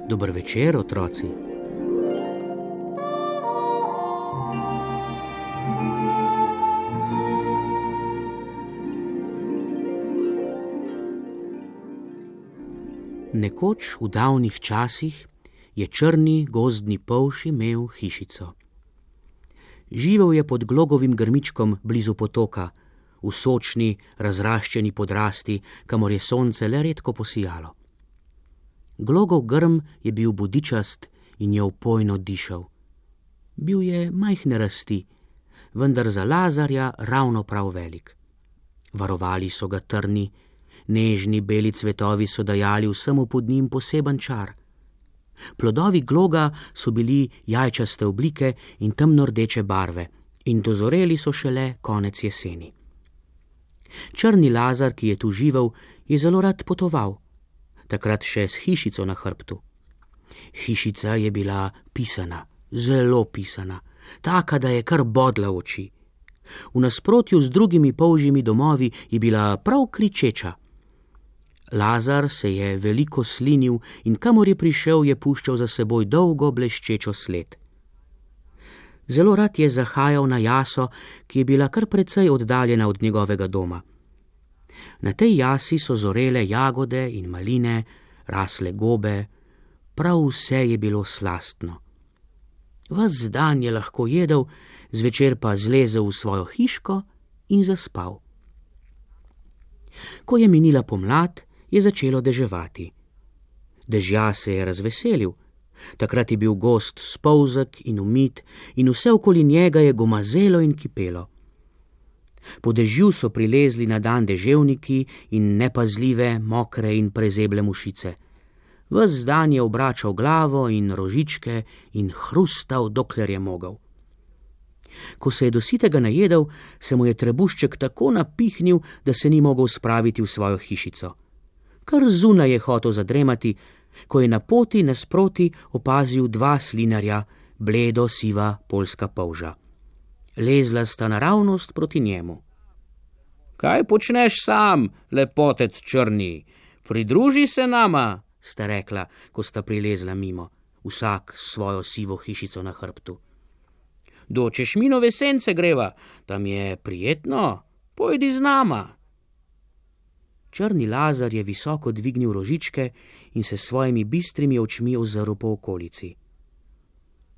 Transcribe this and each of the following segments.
Dober večer, otroci. Nekoč v davnih časih je črni gozdni polž imel hišico. Živel je pod glogovim grmičkom blizu potoka, v sočni, razraščeni podrasti, kamor je sonce le redko posijalo. Glogov grm je bil budičast in je opojno dišal. Bil je majhne rasti, vendar za Lazarja ravno prav velik. Varovali so ga trni, nežni beli cvetovi so dajali vsemu pod njim poseben čar. Plodovi gloga so bili jajčaste oblike in temno-rdeče barve in dozoreli so šele konec jeseni. Črni Lazar, ki je tu živel, je zelo rad potoval, takrat še s hišico na hrbtu. Hišica je bila pisana, zelo pisana, taka, da je kar bodla oči. V nasprotju z drugimi polžjimi domovi je bila prav kričeča. Lazar se je veliko slinil in kamor je prišel, je puščal za seboj dolgo bleščečo sled. Zelo rad je zahajal na jaso, ki je bila kar precej oddaljena od njegovega doma. Na tej jasi so zorele jagode in maline, rasle gobe, prav vse je bilo slastno. Ves dan je lahko jedel, zvečer pa zlezel v svojo hiško in zaspal. Ko je minila pomlad, je začelo deževati. Dežja se je razveselil, takrat je bil gozd spolzek in umit in vse okoli njega je gomazelo in kipelo. Po dežju so prilezli na dan deževniki in nepazljive, mokre in prezeble mušice. Ves dan je obračal glavo in rožičke in hrustal, dokler je mogel. Ko se je do sitega najedel, se mu je trebušček tako napihnil, da se ni mogel spraviti v svojo hišico. Kar zunaj je hotel zadremati, ko je na poti nasproti opazil dva slinarja, bledo siva poljska polža. Lezla sta naravnost proti njemu. Kaj počneš sam, lepotec črni? Pridruži se nama, sta rekla, ko sta prilezla mimo, vsak s svojo sivo hišico na hrbtu. Do Češminove sence greva, tam je prijetno, pojdi z nama. Črni Lazar je visoko dvignil rožičke in se s svojimi bistrimi očmi ozrl po okolici.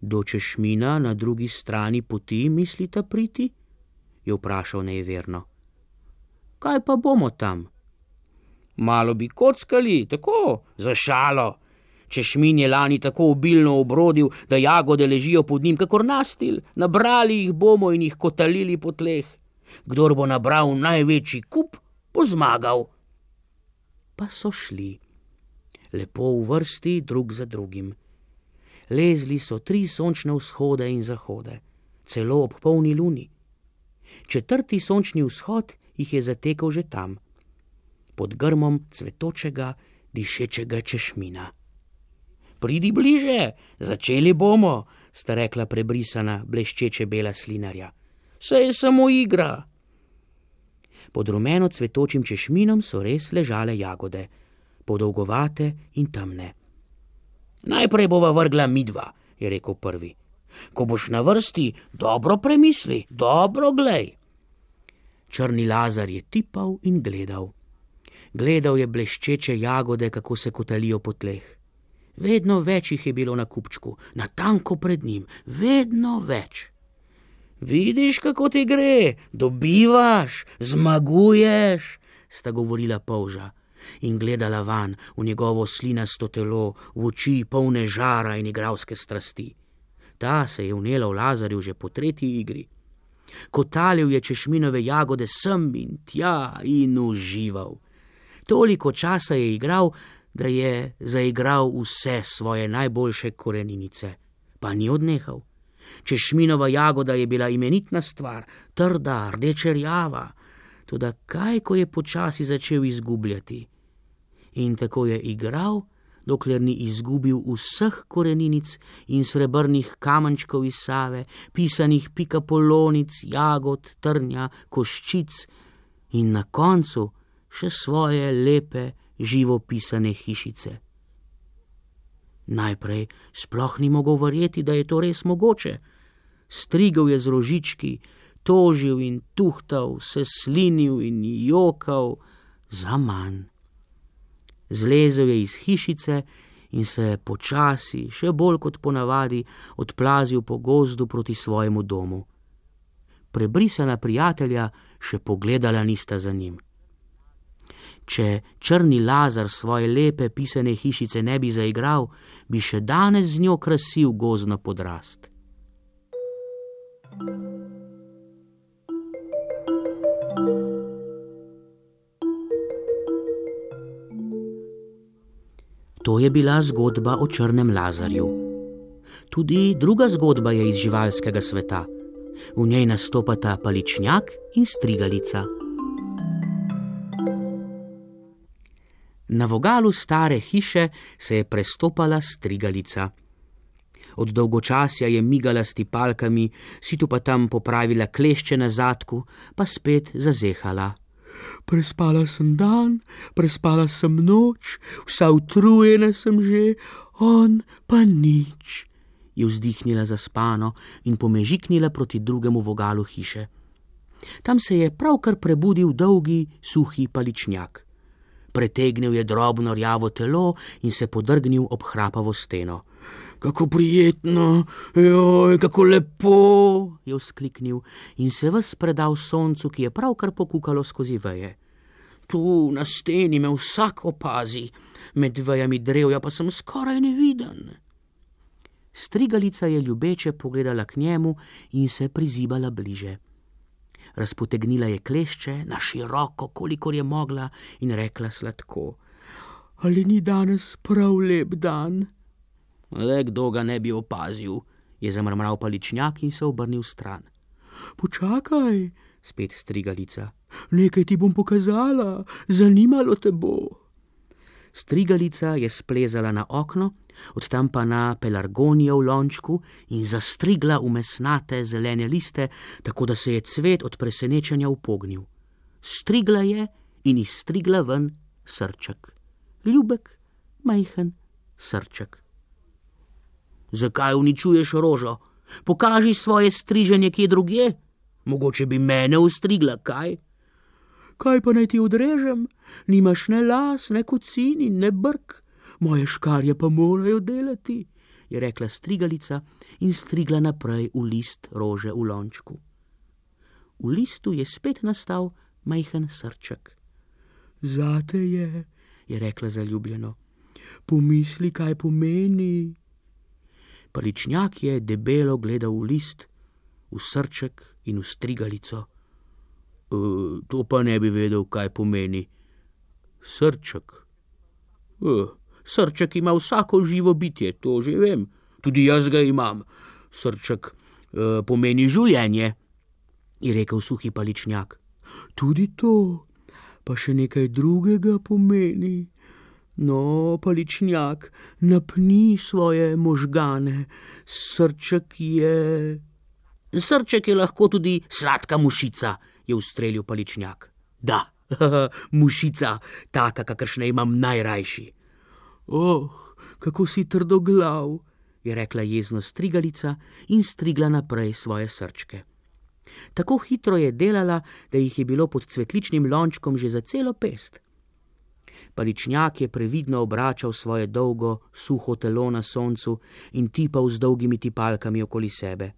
Do Češmina na drugi strani poti mislita priti? Je vprašal nejeverno. Kaj pa bomo tam? Malo bi kockali, tako, za šalo. Češmin je lani tako obilno obrodil, da jagode ležijo pod njim kakor nastil. Nabrali jih bomo in jih kotalili po tleh. Kdor bo nabral največji kup, bo zmagal. Pa so šli, lepo v vrsti drug za drugim. Lezli so 3 sončne vzhode in zahode, celo ob polni luni. 4. sončni vzhod jih je zatekel že tam, pod grmom cvetočega, dišečega Češmina. Pridi bliže, začeli bomo, sta rekla prebrisana, bleščeče bela slinarja. Saj je samo igra. Pod rumeno cvetočim Češminom so res ležale jagode, podolgovate in temne. Najprej bova vrgla midva, je rekel prvi. Ko boš na vrsti, dobro premisli, dobro glej. Črni Lazar je tipal in gledal. Gledal je bleščeče jagode, kako se kotalijo po tleh. Vedno več jih je bilo na kupčku, natanko pred njim, vedno več. Vidiš, kako ti gre, dobivaš, zmaguješ, sta govorila polža in gledala van v njegovo slinasto telo, v oči polne žara in igralske strasti. Ta se je vnela v Lazarju že po 3. igri. Kotalil je Češminove jagode sem in tja in užival. Toliko časa je igral, da je zaigral vse svoje najboljše koreninice, pa ni odnehal. Češminova jagoda je bila imenitna stvar, trda, rdečerjava, toda kaj, ko je počasi začel izgubljati. In tako je igral, dokler ni izgubil vseh koreninic in srebrnih kamenčkov iz Save, pisanih pikapolonic, jagod, trnja, koščic in na koncu še svoje lepe, živopisane hišice. Najprej sploh ni mogel verjeti, da je to res mogoče. Strigel je z rožički, tožil in tuhtal, se slinil in jokal zaman. Zlezel je iz hišice in se počasi, še bolj kot ponavadi, odplazil po gozdu proti svojemu domu. Prebrisana prijatelja še pogledala nista za njim. Če črni Lazar svoje lepe pisane hišice ne bi zaigral, bi še danes z njo krasil gozdno podrast. To je bila zgodba o črnem Lazarju. Tudi druga zgodba je iz živalskega sveta. V njej nastopata paličnjak in strigalica. Na vogalu stare hiše se je prestopala strigalica. Od dolgočasja je migala s tipalkami, si tu pa tam popravila klešče na zadku, pa spet zazehala. Prespala sem dan, prespala sem noč, vsa utrujena sem že, on pa nič, je vzdihnila zaspano in pomežiknila proti drugemu vogalu hiše. Tam se je pravkar prebudil dolgi, suhi paličnjak. Pretegnil je drobno rjavo telo in se podrgnil ob hrapavo steno. Kako prijetno, joj, kako lepo, je vzkliknil in se ves predal soncu, ki je pravkar pokukalo skozi veje. Tu na steni me vsak opazi, med vejami drevja pa sem skoraj neviden. Strigalica je ljubeče pogledala k njemu in se prizibala bliže. Razpotegnila je klešče na široko, kolikor je mogla, in rekla sladko: Ali ni danes prav lep dan? Le kdo ga ne bi opazil, je zamrmral paličnjak in se obrnil stran. Počakaj, spet strigalica, nekaj ti bom pokazala, zanimalo te bo. Strigalica je splezala na okno, od tam pa na pelargonijo v lončku in zastrigla v mesnate zelene liste, tako da se je cvet od presenečenja upognil. Strigla je in izstrigla ven srček. Ljubek, majhen srček. Zakaj uničuješ rožo? Pokaži svoje striženje kje drugje. Mogoče bi mene ustrigla, kaj? Kaj pa naj ti odrežem? Nimaš ne las, ne kocin in ne brk. Moje škarje pa morajo delati, je rekla strigalica in strigla naprej v list rože v lončku. V listu je spet nastal majhen srček. Zate je rekla zaljubljeno. Pomisli, kaj pomeni. Paličnjak je debelo gledal v list, v srček in v strigalico. To pa ne bi vedel, kaj pomeni. Srček. Srček ima vsako živo bitje, to že vem. Tudi jaz ga imam. Srček pomeni življenje, je rekel suhi paličnjak. Tudi to, pa še nekaj drugega pomeni. No, paličnjak, napni svoje možgane. Srček je lahko tudi sladka mušica, je ustrelil paličnjak. Da, mušica, taka, kakršne imam najrajši. Kako si trdoglav, je rekla jezno strigalica in strigla naprej svoje srčke. Tako hitro je delala, da jih je bilo pod cvetličnim lončkom že za celo pest. Paličnjak je previdno obračal svoje dolgo, suho telo na soncu in tipal z dolgimi tipalkami okoli sebe.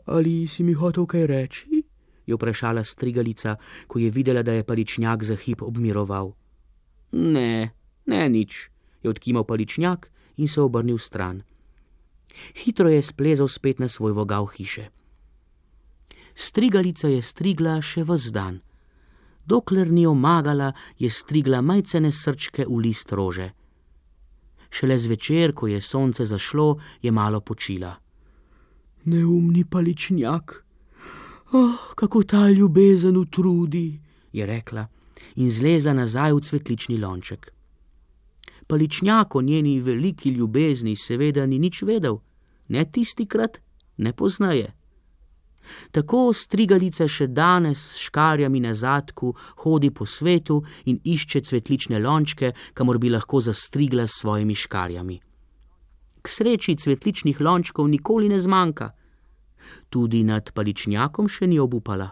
Ali si mi hotel kaj reči? Je vprašala strigalica, ko je videla, da je paličnjak za hip obmiroval. Ne, nič, je odkimal paličnjak in se obrnil stran. Hitro je splezal spet na svoj vogal hiše. Strigalica je strigla še ves dan. Dokler ni omagala, je strigla majcene srčke v list rože. Šele zvečer, ko je sonce zašlo, je malo počila. Neumni paličnjak, kako ta ljubezen utrudi, je rekla in zlezla nazaj v cvetlični lonček. Paličnjak o njeni veliki ljubezni seveda ni nič vedel, ne tistikrat, ne poznaje. Tako strigalica še danes s škarjami na zadku hodi po svetu in išče cvetlične lončke, kamor bi lahko zastrigla s svojimi škarjami. K sreči cvetličnih lončkov nikoli ne zmanjka. Tudi nad paličnjakom še ni obupala.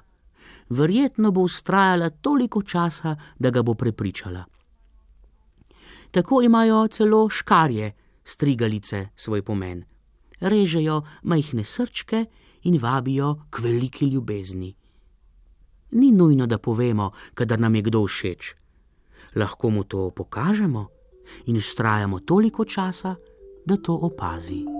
Verjetno bo vztrajala toliko časa, da ga bo prepričala. Tako imajo celo škarje, strigalice, svoj pomen. Režejo majhne srčke in vabijo k veliki ljubezni. Ni nujno, da povemo, kadar nam je kdo všeč. Lahko mu to pokažemo in vztrajamo toliko časa, da to opazi.